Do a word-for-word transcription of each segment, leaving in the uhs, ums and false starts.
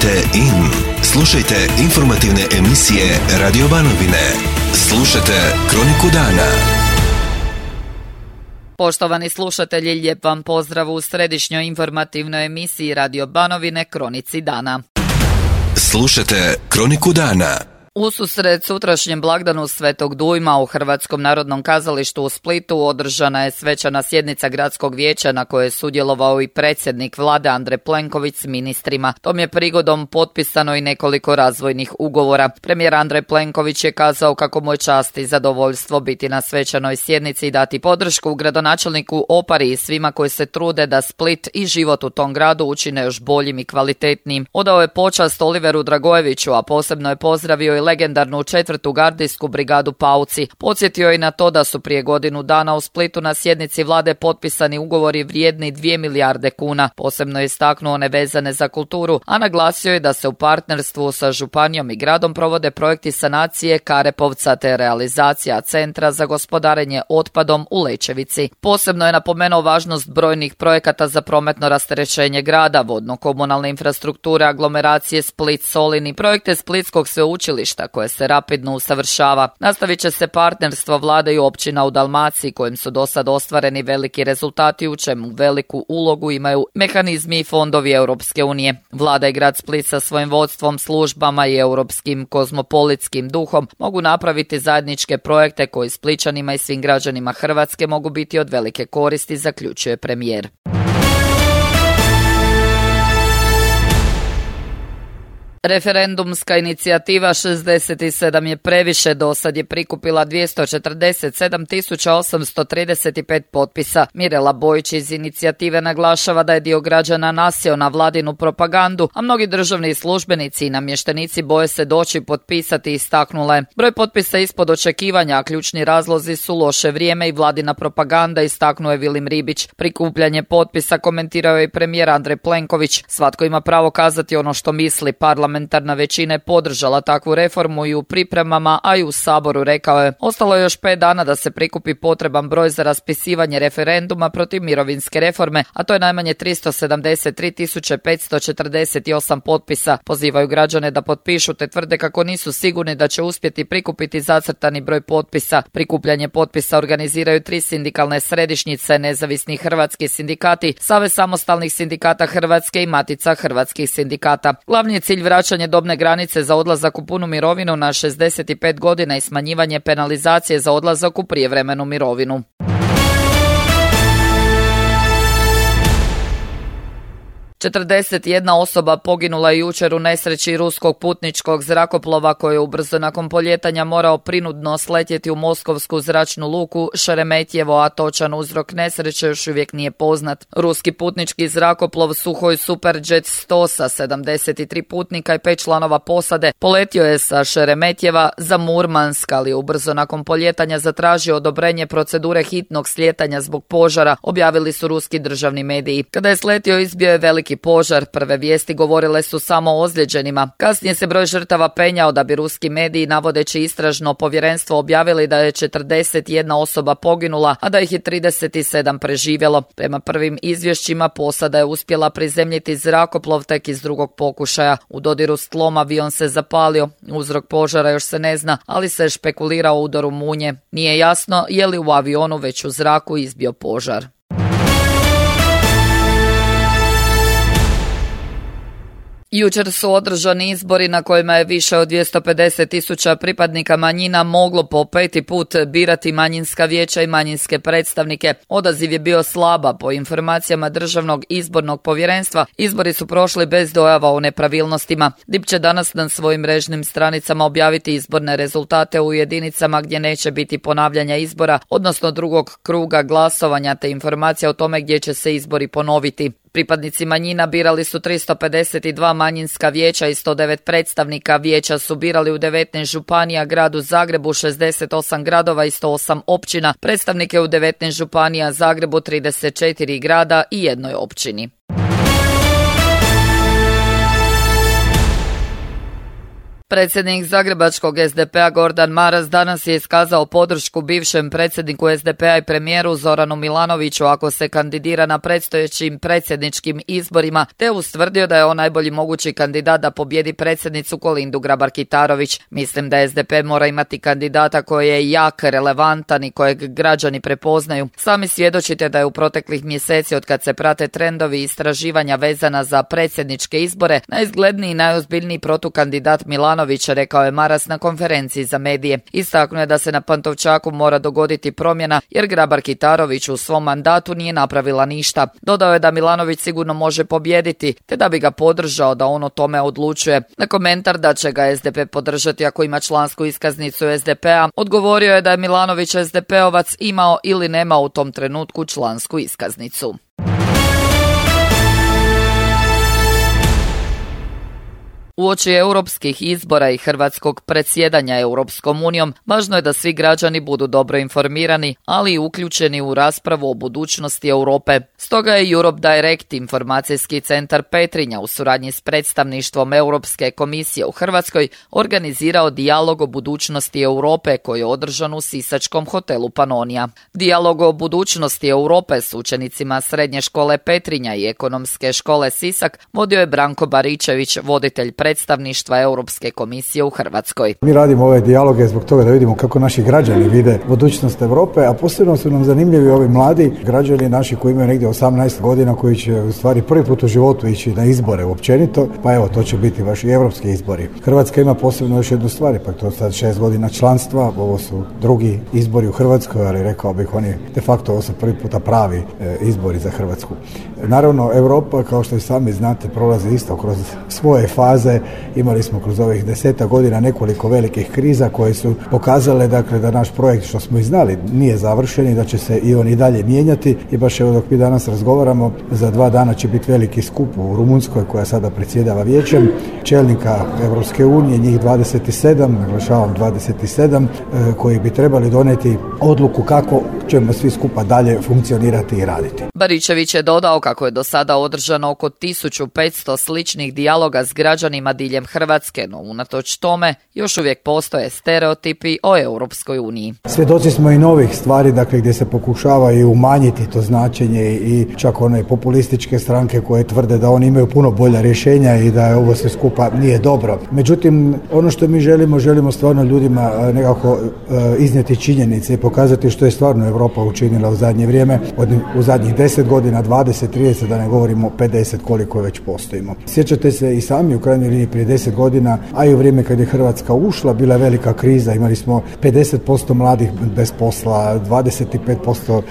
Tunite in. Slušajte informativne emisije Radio Banovine. Slušajte Kroniku dana. Poštovani slušatelji, lijep vam pozdrav u središnjoj informativnoj emisiji Radio Banovine Kronici dana. Slušajte Kroniku dana. Ususret sutrašnjem blagdanu Svetog Dujma u Hrvatskom narodnom kazalištu u Splitu održana je svečana sjednica gradskog vijeća na kojoj je sudjelovao i predsjednik vlade Andrej Plenković s ministrima. Tom je prigodom potpisano i nekoliko razvojnih ugovora. Premijer Andrej Plenković je kazao kako mu je čast i zadovoljstvo biti na svečanoj sjednici i dati podršku gradonačelniku Opari i svima koji se trude da Split i život u tom gradu učine još boljim i kvalitetnijim. Odao je počast Oliveru Dragojeviću, a posebno je pozdravio i legendarnu četvrtu gardijsku brigadu Pauci. Podsjetio je i na to da su prije godinu dana u Splitu na sjednici vlade potpisani ugovori vrijedni dvije milijarde kuna. Posebno je istaknuo one vezane za kulturu, a naglasio je da se u partnerstvu sa županijom i gradom provode projekti sanacije Karepovca te realizacija centra za gospodarenje otpadom u Lećevici. Posebno je napomenuo važnost brojnih projekata za prometno rasterećenje grada, vodno-komunalne infrastrukture, aglomeracije Split-Solin i projekte Splitskog sveučilišta koje se rapidno usavršava. Nastavit će se partnerstvo vlade i općina u Dalmaciji kojim su do sad ostvareni veliki rezultati u čemu veliku ulogu imaju mehanizmi i fondovi Europske unije. Vlada i grad Split sa svojim vodstvom, službama i europskim kozmopolitskim duhom mogu napraviti zajedničke projekte koji Splićanima i svim građanima Hrvatske mogu biti od velike koristi, zaključuje premijer. Referendumska inicijativa šezdeset sedam je previše dosad je prikupila dvjesto četrdeset sedam tisuća osamsto trideset pet potpisa. Mirela Bojić iz inicijative naglašava da je dio građana nasjeo na vladinu propagandu, a mnogi državni službenici i namještenici boje se doći potpisati, istaknula je. Broj potpisa ispod očekivanja, a ključni razlozi su loše vrijeme i vladina propaganda, istaknuo je Vilim Ribić. Prikupljanje potpisa komentirao je i premijer Andrej Plenković. Svatko ima pravo kazati ono što misli. Parlamentarna većina je podržala takvu reformu i u pripremama, a i u Saboru, rekao je. Ostalo je još pet dana da se prikupi potreban broj za raspisivanje referenduma protiv mirovinske reforme, a to je najmanje tristo sedamdeset tri tisuće petsto četrdeset osam potpisa. Pozivaju građane da potpišu te tvrde kako nisu sigurni da će uspjeti prikupiti zacrtani broj potpisa. Prikupljanje potpisa organiziraju tri sindikalne središnjice, Nezavisni hrvatski sindikati, Savez samostalnih sindikata Hrvatske i Matica hrvatskih sindikata. Glavni je cilj vraćanje dobne granice za odlazak u punu mirovinu na šezdeset pet godina i smanjivanje penalizacije za odlazak u prijevremenu mirovinu. četrdeset jedna osoba poginula je jučer u nesreći ruskog putničkog zrakoplova koji je ubrzo nakon poljetanja morao prinudno sletjeti u moskovsku zračnu luku Šeremetjevo, a točan uzrok nesreće još uvijek nije poznat. Ruski putnički zrakoplov Suhoj Superjet sto sa sedamdeset tri putnika i pet članova posade poletio je sa Šeremetjeva za Murmansk, ali ubrzo nakon poljetanja zatražio odobrenje procedure hitnog slijetanja zbog požara, objavili su ruski državni mediji. Kada je sletio, izbio je veliki požar. Prve vijesti govorile su samo o ozlijeđenima. Kasnije se broj žrtava penjao da bi ruski mediji, navodeći istražno povjerenstvo, objavili da je četrdeset jedna osoba poginula, a da ih je trideset sedam preživjelo. Prema prvim izvješćima posada je uspjela prizemljiti zrakoplov tek iz drugog pokušaja. U dodiru s tlom avion se zapalio. Uzrok požara još se ne zna, ali se špekulira o udaru munje. Nije jasno je li u avionu već u zraku izbio požar. Jučer su održani izbori na kojima je više od dvjesto pedeset tisuća pripadnika manjina moglo po peti put birati manjinska vijeća i manjinske predstavnike. Odaziv je bio slaba. Po informacijama Državnog izbornog povjerenstva, izbori su prošli bez dojava o nepravilnostima. D I P će danas na svojim mrežnim stranicama objaviti izborne rezultate u jedinicama gdje neće biti ponavljanja izbora, odnosno drugog kruga glasovanja, te informacija o tome gdje će se izbori ponoviti. Pripadnici manjina birali su tristo pedeset dva manjinska vijeća i sto devet predstavnika. Vijeća su birali u devetnaest županija, gradu Zagrebu šezdeset osam gradova i sto osam općina, predstavnike u devetnaest županija, Zagrebu trideset četiri grada i jednoj općini. Predsjednik zagrebačkog es de pe a Gordan Maras danas je iskazao podršku bivšem predsjedniku es de pe a i premijeru Zoranu Milanoviću ako se kandidira na predstojećim predsjedničkim izborima, te ustvrdio da je on najbolji mogući kandidat da pobjedi predsjednicu Kolindu Grabar-Kitarović. Mislim da es de pe mora imati kandidata koji je jak, relevantan i kojeg građani prepoznaju. Sami svjedočite da je u proteklih mjeseci od kad se prate trendovi i istraživanja vezana za predsjedničke izbore najizgledniji i najozbiljniji protukandidat Milanović, rekao je Maras na konferenciji za medije. Istaknuo je da se na Pantovčaku mora dogoditi promjena jer Grabar-Kitarović u svom mandatu nije napravila ništa. Dodao je da Milanović sigurno može pobijediti, te da bi ga podržao da on o tome odlučuje. Na komentar da će ga es de pe podržati ako ima člansku iskaznicu es de pe a, odgovorio je da je Milanović es de pe ovac imao ili nema u tom trenutku člansku iskaznicu. Uoči europskih izbora i hrvatskog predsjedanja Europskom unijom, važno je da svi građani budu dobro informirani, ali i uključeni u raspravu o budućnosti Europe. Stoga je Europe Direct, informacijski centar Petrinja, u suradnji s predstavništvom Europske komisije u Hrvatskoj, organizirao dijalog o budućnosti Europe koji je održan u sisačkom hotelu Panonija. Dijalog o budućnosti Europe s učenicima Srednje škole Petrinja i Ekonomske škole Sisak vodio je Branko Baričević, voditelj predstavništva Europske komisije u Hrvatskoj. Mi radimo ove dijaloge zbog toga da vidimo kako naši građani vide budućnost Europe, a posebno su nam zanimljivi ovi mladi građani naši koji imaju negdje osamnaest godina, koji će u stvari prvi put u životu ići na izbore općenito, pa evo to će biti vaši europski izbori. Hrvatska ima posebno još jednu stvar, pa to je sad šest godina članstva, ovo su drugi izbori u Hrvatskoj, ali rekao bih oni de facto ovo su prvi puta pravi e, izbori za Hrvatsku. Naravno, Europa, kao što i sami znate, prolazi isto kroz svoje faze. Imali smo kroz ovih deseta godina nekoliko velikih kriza koje su pokazale dakle, da naš projekt, što smo i znali, nije završen i da će se i on i dalje mijenjati. I baš evo dok mi danas razgovaramo, za dva dana će biti veliki skup u Rumunjskoj koja sada predsjedava vijećem, čelnika Europske unije, njih dvadeset sedam, naglašavam dvadeset sedam, koji bi trebali donijeti odluku kako ćemo svi skupa dalje funkcionirati i raditi. Baričević je dodao kako je do sada održano oko tisuću petsto sličnih dijaloga s građanima diljem Hrvatske, no unatoč tome još uvijek postoje stereotipi o Europskoj uniji. Svjedoci smo i novih stvari, dakle gdje se pokušava i umanjiti to značenje i čak one populističke stranke koje tvrde da oni imaju puno bolja rješenja i da je ovo sve skupa nije dobro. Međutim, ono što mi želimo, želimo stvarno ljudima nekako uh, iznijeti činjenice i pokazati što je stvarno Europa učinila u zadnje vrijeme, od, u zadnjih deset godina, dvadeset, trideset, da ne govorimo pedeset koliko već postojimo. Sjećate se i sami u krajnjoj liniji prije deset godina, a i u vrijeme kad je Hrvatska ušla, bila je velika kriza, imali smo pedeset posto mladih bez posla, dvadeset pet posto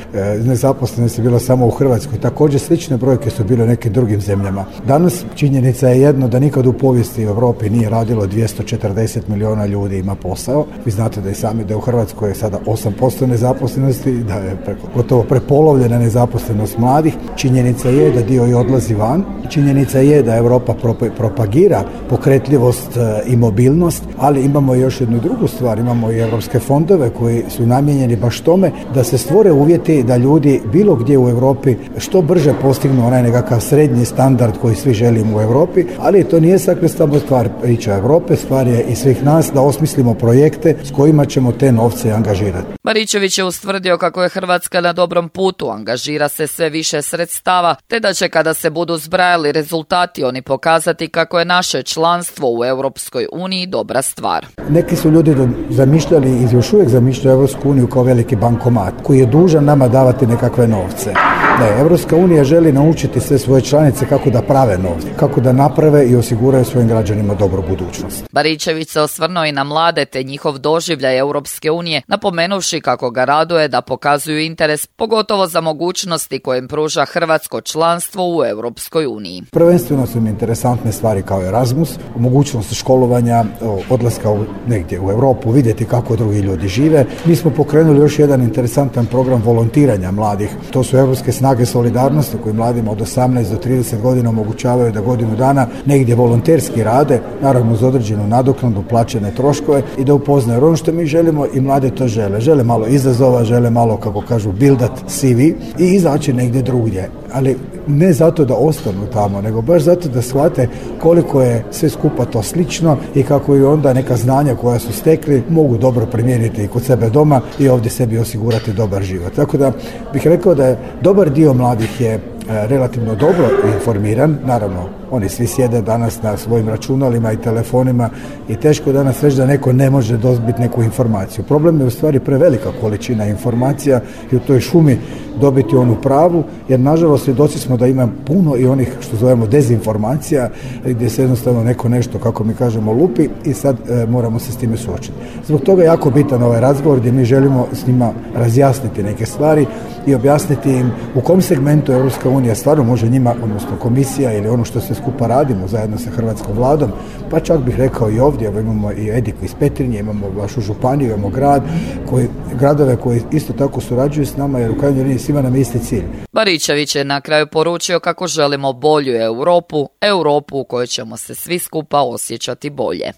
nezaposlenosti je bilo samo u Hrvatskoj. Također slične brojke su bile u nekim drugim zemljama. Danas činjenica je jedno da nikad u povijesti u Europi nije radilo dvjesto četrdeset milijuna ljudi ima posao. Vi znate da i sami da u Hrvatskoj je sada osam posto nezaposlenosti, da je preko, gotovo prepolovljena nezaposlenost mladih. Činjenica je da dio i odlazi van. Činjenica je da Europa propagira pokretljivost i mobilnost, ali imamo još jednu drugu stvar, imamo i europske fondove koji su namijenjeni baš tome da se stvore uvjeti da ljudi bilo gdje u Europi što brže postignu onaj nekakav srednji standard koji svi želimo u Europi, ali to nije sakre samo stvar priča Europe, stvar je i svih nas da osmislimo projekte s kojima ćemo te novce angažirati. Baričević je ustvrdio kako je Hrvatska na dobrom putu, angažira se sve više sredstava, te da će kada se budu zbrajali rezultati oni pokazati kako je naše članstvo u Europskoj uniji dobra stvar. Neki su ljudi zamišljali i još uvijek zamišljaju Europsku uniju kao veliki bankomat koji je dužan nama davati nekakve novce. Ne, Europska unija želi naučiti sve svoje članice kako da prave novce, kako da naprave i osiguraju svojim građanima dobru budućnost. Baričević se osvrnuo i na mlade te njihov doživljaj Europske unije, napomenuvši kako ga raduje da pokazuju interes, pogotovo za mogućnosti koje im pruža hrvatsko članstvo u Europskoj uniji. Prvenstveno su mi interesantne stvari kao Erasmus, mogućnost školovanja, odlaska u, negdje u Europu, vidjeti kako drugi ljudi žive. Mi smo pokrenuli još jedan interesantan program volontiranja mladih. To su europske snage solidarnosti koji mladima od osamnaest do trideset godina omogućavaju da godinu dana negdje volonterski rade, naravno uz određenu nadoknadu, plaćene troškove i da upoznaju. Ono što mi želimo i mlade to žele. Žele malo izazova, žele malo, kako kažu, buildat C V i izaći negdje drugdje. Ali ne zato da ostanu tamo, nego baš zato da shvate koliko je sve skupa to slično i kako i onda neka znanja koja su stekli mogu dobro primijeniti i kod sebe doma i ovdje sebi osigurati dobar život. Tako da bih rekao da je dobar dio mladih je relativno dobro informiran, naravno oni svi sjede danas na svojim računalima i telefonima i teško je danas reći da neko ne može dobiti neku informaciju. Problem je u stvari prevelika količina informacija i u toj šumi dobiti onu pravu, jer nažalost svjedoci smo da ima puno i onih što zovemo dezinformacija gdje se jednostavno neko nešto, kako mi kažemo, lupi i sad e, moramo se s time suočiti. Zbog toga je jako bitan ovaj razgovor gdje mi želimo s njima razjasniti neke stvari i objasniti im u kom segmentu Europska unija stvarno može njima, odnosno komisija ili ono što se skupa radimo zajedno sa hrvatskom vladom, pa čak bih rekao i ovdje, evo imamo i Ediku iz Petrinje, imamo vašu županiju, imamo grad, koji, gradove koji isto tako surađuju s nama jer u krajnjoj liniji svima nam je isti cilj. Baričević je na kraju poručio kako želimo bolju Europu, Europu u kojoj ćemo se svi skupa osjećati bolje.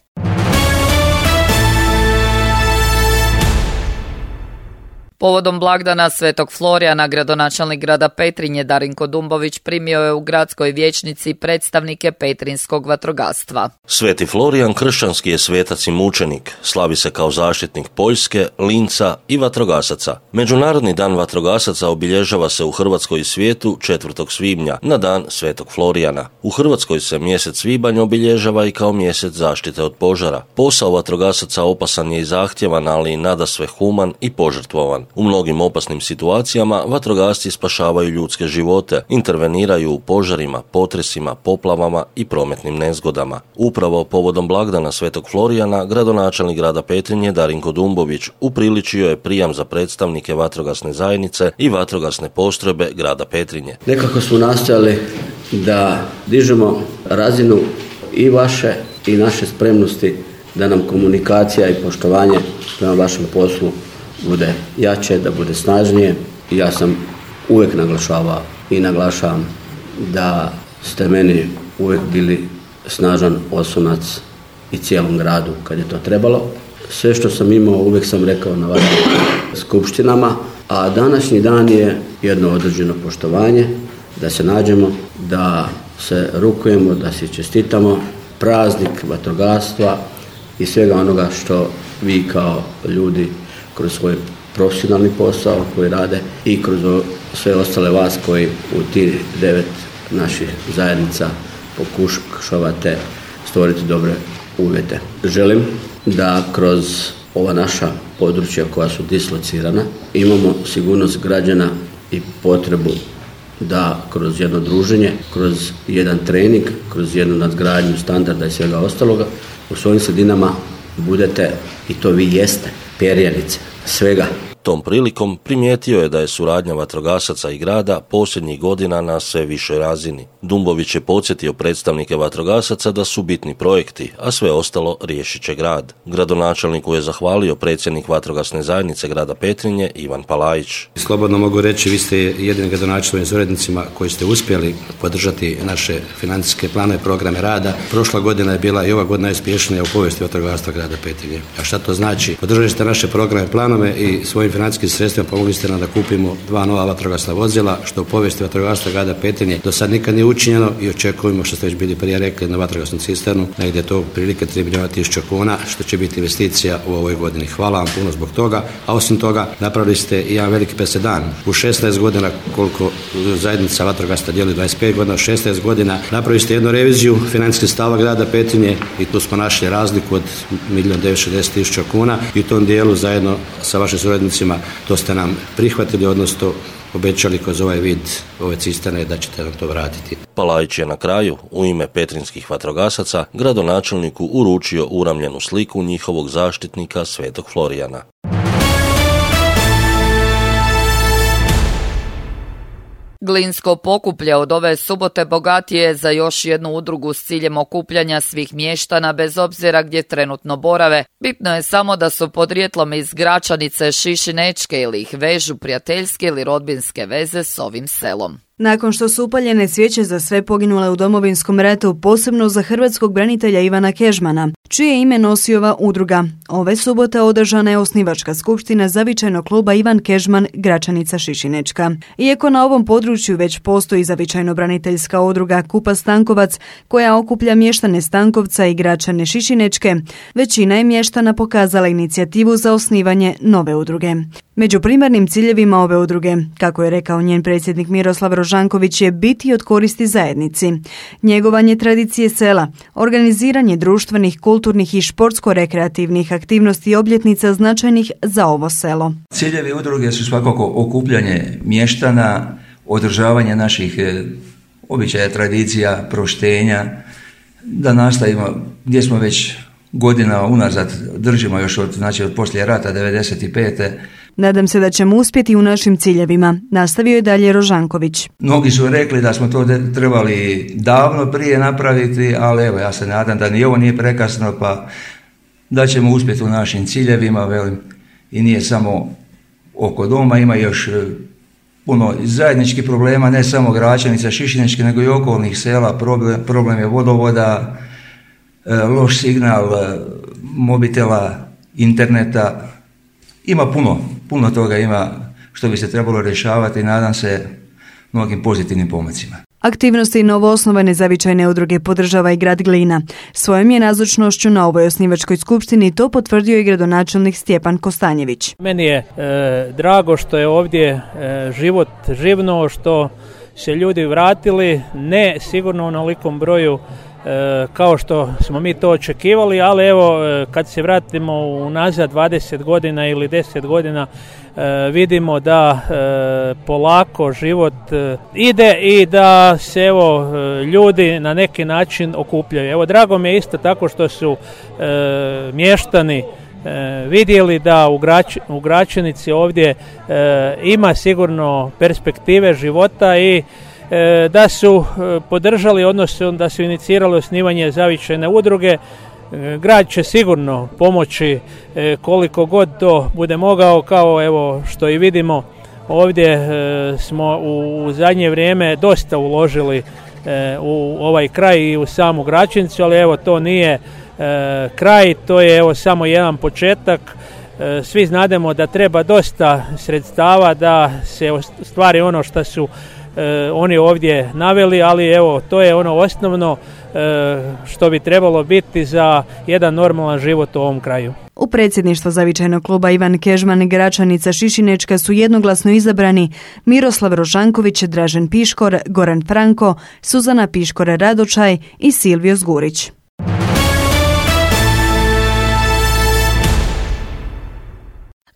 Povodom blagdana Svetog Florijana, gradonačelnik grada Petrinje Darinko Dumbović primio je u gradskoj vijećnici predstavnike petrinskog vatrogastva. Sveti Florijan kršćanski je svetac i mučenik, slavi se kao zaštitnik Poljske, Linca i vatrogasaca. Međunarodni dan vatrogasaca obilježava se u Hrvatskoj i svijetu četvrtog svibnja, na dan Svetog Florijana. U Hrvatskoj se mjesec svibanj obilježava i kao mjesec zaštite od požara. Posao vatrogasaca opasan je i zahtjevan, ali i nadasve human i požrtvovan. U mnogim opasnim situacijama vatrogasci spašavaju ljudske živote, interveniraju u požarima, potresima, poplavama i prometnim nezgodama. Upravo povodom blagdana Svetog Florijana, gradonačelnik grada Petrinje Darinko Dumbović upriličio je prijam za predstavnike vatrogasne zajednice i vatrogasne postrojbe grada Petrinje. Nekako smo nastojali da dižemo razinu i vaše i naše spremnosti da nam komunikacija i poštovanje prema vašem poslu bude jače, da bude snažnije. Ja sam uvijek naglašavao i naglašavam da ste meni uvijek bili snažan oslonac i cijelom gradu kad je to trebalo. Sve što sam imao uvijek sam rekao na vašim skupštinama, a današnji dan je jedno određeno poštovanje, da se nađemo, da se rukujemo, da se čestitamo praznik vatrogastva i svega onoga što vi kao ljudi kroz svoj profesionalni posao koji rade i kroz sve ostale vas koji u tih devet naših zajednica pokušavate stvoriti dobre uvjete. Želim da kroz ova naša područja koja su dislocirana imamo sigurnost građana i potrebu da kroz jedno druženje, kroz jedan trening, kroz jednu nadgradnju standarda i svega ostaloga u svojim sredinama budete, i to vi jeste, perjanice svega. Tom prilikom primijetio je da je suradnja vatrogasaca i grada posljednjih godina na sve višoj razini. Dumbović je podsjetio predstavnike vatrogasaca da su bitni projekti, a sve ostalo riješit će grad. Gradonačelniku je zahvalio predsjednik vatrogasne zajednice grada Petrinje Ivan Palajić. Slobodno mogu reći, vi ste jedini gradonačelnik s urednicima koji ste uspjeli podržati naše financijske planove i programe rada. Prošla godina je bila i ova godina uspješnija u povijesti vatrogastva grada Petrinje. A šta to znači? Podržali ste naše programe i planove i svojim financijskim sredstvima pomogli ste nam da kupimo dva nova vatrogasna vozila, što u povijesti vatrogastva grada Petrinje do sad nikad nije učinjeno i očekujemo, što ste već bili prije rekli, na vatrogasnu cisternu, negdje je to prilike tri milijuna tisuća kuna, što će biti investicija u ovoj godini. Hvala vam puno zbog toga, a osim toga napravili ste i jedan veliki presedan. U šesnaest godina, koliko zajednica vatrogasna djeluje, dvadeset pet godina, šesnaest godina, napravili ste jednu reviziju financijskih stava grada Petrinje i tu smo našli razliku od milijun devetsto šezdeset tisuća kuna i u tom dijelu zajedno sa vašim suradnicima to ste nam prihvatili, odnosno obećali kroz ovaj vid ove cisterne da ćete nam to vratiti. Palajić je na kraju u ime petrinskih vatrogasaca gradonačelniku uručio uramljenu sliku njihovog zaštitnika Svetog Florijana. Glinsko Pokuplje od ove subote bogatije za još jednu udrugu s ciljem okupljanja svih mještana bez obzira gdje trenutno borave. Bitno je samo da su podrijetlom iz Gračanice, Šišinečke ili ih vežu prijateljske ili rodbinske veze s ovim selom. Nakon što su upaljene svijeće za sve poginule u Domovinskom ratu, posebno za hrvatskog branitelja Ivana Kežmana, čije ime nosi ova udruga, ove subote održana je osnivačka skupština zavičajnog kluba Ivan Kežman Gračanica Šišinečka. Iako na ovom području već postoji zavičajno braniteljska udruga Kupa Stankovac, koja okuplja mještane Stankovca i Gračane Šišinečke, većina je mještana pokazala inicijativu za osnivanje nove udruge. Među primarnim ciljevima ove udruge, kako je rekao njen predsjednik Miroslav Rožanković, je biti od koristi zajednici, njegovanje tradicije sela, organiziranje društvenih, kulturnih i športsko-rekreativnih aktivnosti i obljetnica značajnih za ovo selo. Ciljevi udruge su svakako okupljanje mještana, održavanje naših običaja, tradicija, proštenja, da nastavimo gdje smo već godina unazad, držimo još od, znači od poslije rata devedeset pete. Nadam se da ćemo uspjeti u našim ciljevima, nastavio je dalje Rožanković. Mnogi su rekli da smo to trebali davno prije napraviti, ali evo, ja se nadam da ni ovo nije prekasno, pa da ćemo uspjeti u našim ciljevima, velim, i nije samo oko doma, ima još puno zajedničkih problema, ne samo Gračanica, Šišinečke, nego i okolnih sela. Problem, problem je vodovoda, loš signal mobitela, interneta, ima puno, puno toga ima što bi se trebalo rješavati i nadam se mnogim pozitivnim pomacima. Aktivnosti novoosnovane zavičajne udruge podržava i grad Glina. Svojom je nazočnošću na ovoj osnivačkoj skupštini to potvrdio i gradonačelnik Stjepan Kostanjević. Meni je e, drago što je ovdje e, život živnuo, što se ljudi vratili, ne sigurno u onolikom broju E, kao što smo mi to očekivali, ali evo e, kad se vratimo unazad dvadeset godina ili deset godina e, vidimo da e, polako život e, ide i da se evo e, ljudi na neki način okupljaju. Evo drago mi je isto tako što su e, mještani E, vidjeli da u, Grač, u Gračanici ovdje e, ima sigurno perspektive života i e, da su e, podržali, odnosno da su inicirali osnivanje zavičajne udruge. E, grad će sigurno pomoći e, koliko god to bude mogao, kao evo što i vidimo ovdje e, smo u, u zadnje vrijeme dosta uložili e, u ovaj kraj i u samu Gračanicu, ali evo to nije E, kraj, to je evo samo jedan početak. E, svi znademo da treba dosta sredstava da se ostvari ono što su e, oni ovdje naveli, ali evo to je ono osnovno e, što bi trebalo biti za jedan normalan život u ovom kraju. U predsjedništvo zavičajnog kluba Ivan Kežman Gračanica Šišinečka su jednoglasno izabrani Miroslav Rožanković, Dražen Piškor, Goran Franko, Suzana Piškor Radočaj i Silvio Zgurić.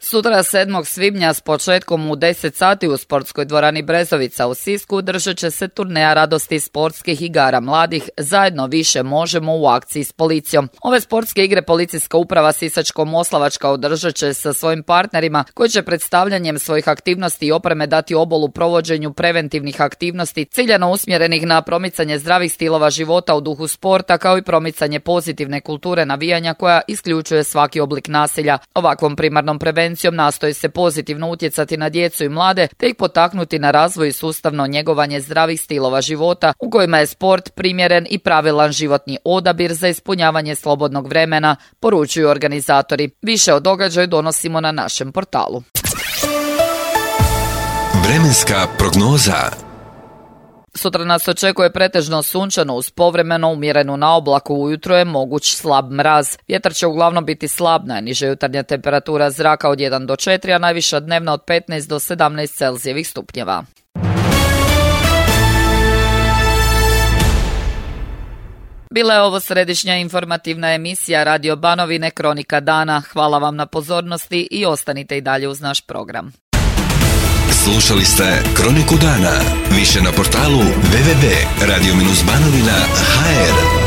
Sutra sedmog svibnja s početkom u deset sati u sportskoj dvorani Brezovica u Sisku održat će se turneja radosti sportskih igara mladih Zajedno više možemo u akciji s policijom. Ove sportske igre policijska uprava Sisačko-moslavačka održat će sa svojim partnerima koji će predstavljanjem svojih aktivnosti i opreme dati obol u provođenju preventivnih aktivnosti ciljano usmjerenih na promicanje zdravih stilova života u duhu sporta kao i promicanje pozitivne kulture navijanja koja isključuje svaki oblik nasilja. Ovakvom primarnom prevencijom nastoji se pozitivno utjecati na djecu i mlade te ih potaknuti na razvoj i sustavno njegovanje zdravih stilova života u kojima je sport primjeren i pravilan životni odabir za ispunjavanje slobodnog vremena, poručuju organizatori. Više o događaju donosimo na našem portalu. Vremenska prognoza. Sutra nas očekuje pretežno sunčano uz povremeno umjerenu na oblaku, ujutro je moguć slab mraz. Vjetar će uglavnom biti slab, najniža jutarnja temperatura zraka od jedan do četiri, a najviša dnevna od petnaest do sedamnaest Celzijevih stupnjeva. Bila je ovo središnja informativna emisija Radio Banovine Kronika dana. Hvala vam na pozornosti i ostanite i dalje uz naš program. Slušali ste Kroniku dana. Više na portalu w w w tačka radio banovina tačka h r.